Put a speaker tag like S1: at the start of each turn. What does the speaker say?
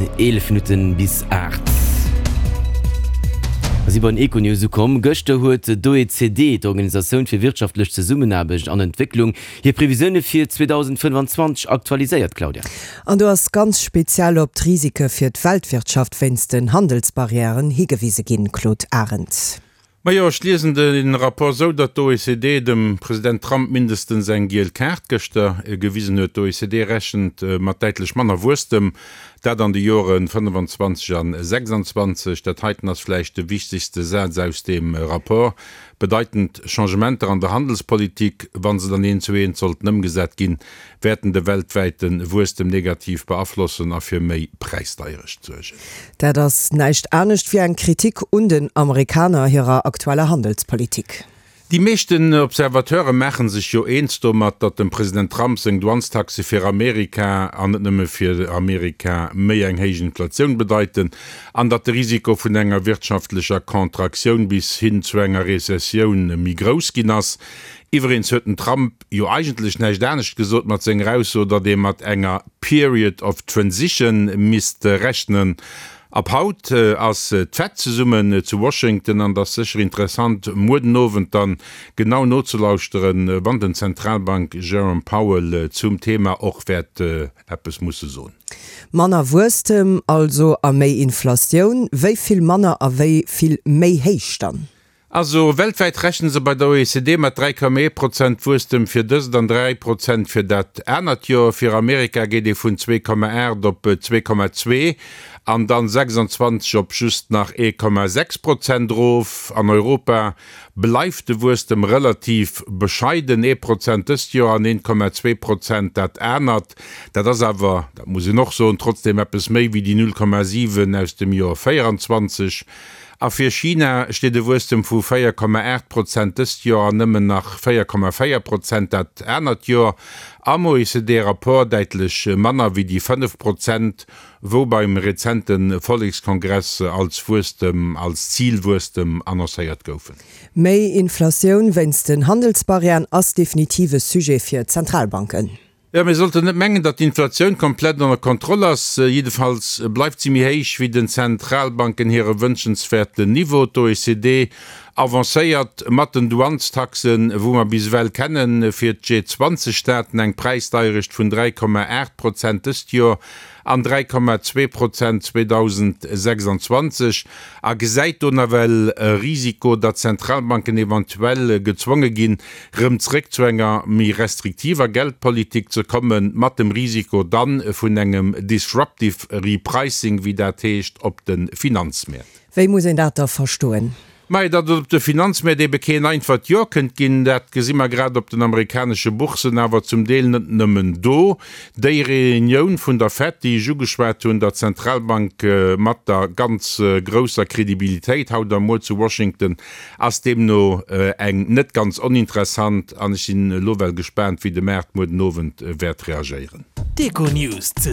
S1: sinn 11 Minutten bis 8. Mer si bei den Econews ukomm. Gëschter huet d'OECD, d'Organisatioun fir wirtschaftlech Zesummenaarbecht an Entwécklung, hir Previsioune fir 2025 aktualiséiert, Claudia.
S2: An do ass ganz speziell op d'Risike fir d'Weltwirtschaft wéinst den Handelsbarrièren higewise ginn, Claude Arend.
S3: Majo, ech liesen de Rapport esou, datt d'OECD dem President Trump mindestens eng giel Kaart gëschter gewisen huet. D'OECD rechent mat däitlech manner Wuesstem, dat an de Joren 25 an 26. Dat heiten ass vläicht de wichtegste Saz aus deem Rapport, Bedeitend Changementer an der Handelspolitik, wa se dann eent zu eent sollten ëmgesat ginn, wäerten de weltwäite Wuesstem negativ beaflossen a fir méi Präisdeierecht suergen.
S2: Dat ass näischt anescht wéi eng Kritik un den Amerikaner hirer aktueller Handelspolitik.
S3: Déi meeschten Observateure maache sech jo eens domat, datt dem President Trump seng Douanestaxe fir Amerika, an net nëmme fir Amerika, méi eng héich Inflatioun bedeiten an datt de Risiko vun enger wirtschaftlecher Contractioun bis hin zu enger Rezessioun méi grouss ginn ass. Iwwereens huet den Trump jo eigentlech näischt anescht gesot mat senger Ausso, datt ee mat enger period of transition misst rechnen. Ab haut ass d'Fed zesummen zu Washington an et ass sécher interessant muer den Owend dann genau nozelauschteren, wann den Zentralbank Jerome Powell zum Thema och wäert eppes musse soen.
S2: Manner Wuesstem also a méi Inflatioun. Wéi vill manner a wéi vill méi héich dann?
S3: Also weltwäit rechne se bei der OECD mat 3,1 Prozent Wuesstem fir dëst an 3 Prozent fir dat anert Joer. Fir Amerika geet ee vun 2,8 op 2,2 an dann 26 op just nach 1,6 Prozent erof. An Europa bleift de Wuesstem relativ bescheiden, ee Prozent dëst Joer an 1,2 Prozent dat anert. Dat ass awer, dat muss een och soen, trotzdeem eppes méi wéi déi 0,7 aus dem Joer 24. A fir China steet e Wuesstem vu 4,8 Prozent dëst Joer an nëmmen nach 4,4 Prozent dat anert Joer am OECD-Rapport, däitlech manner wéi déi 5 Prozent, wou beim rezente Vollekskongress als Wuesstem, als Zilwuesstem annoncéiert goufen.
S2: Méi Inflatioun wéinst den Handelsbarrièren ass definitiv e Sujet fir d'Zentralbanken.
S3: Jo, mir sollten net mengen, datt d'Inflatioun komplett ënner Kontroll ass. Jiddefalls bleift si méi héich wéi den Zentralbanken hire wënschenswäerten Niveau. D'OECD avancéiert mat den Douanestaxen, wou mer bis ewell kennen, fir d'G-20 Staaten eng Präisdeierecht vun 3,8 Prozent dëst Joer an 3,2 Prozent 2026 a gesäit do nawell e Risiko, datt d'Zentralbanken eventuell gezwonge ginn, rëm zréck zu enger méi restriktiver Geldpolitik ze kommen, mat dem Risiko dann vun engem disruptive repricing, wéi dat heescht, op de Finanzmäert.
S2: Wéi muss een dat da verstoen?
S3: Mä datt et op de Finanzmäert ebe keen einfacht Joer kënnt ginn, dat gesi mer grad op den amerikanesche Boursen, awer zum Deel net nëmmen do. Déi Reunioun vun der Fed, déi ech ugeschwat hunn, der Zentralbank mat der ganz grousser Kredibilitéit haut a muer zu Washington, Ass deemno eng net ganz oninteressant an ech sinn elo well gespaant wéi de Maart muer den Owend wäert reagéieren.
S4: D'Econews.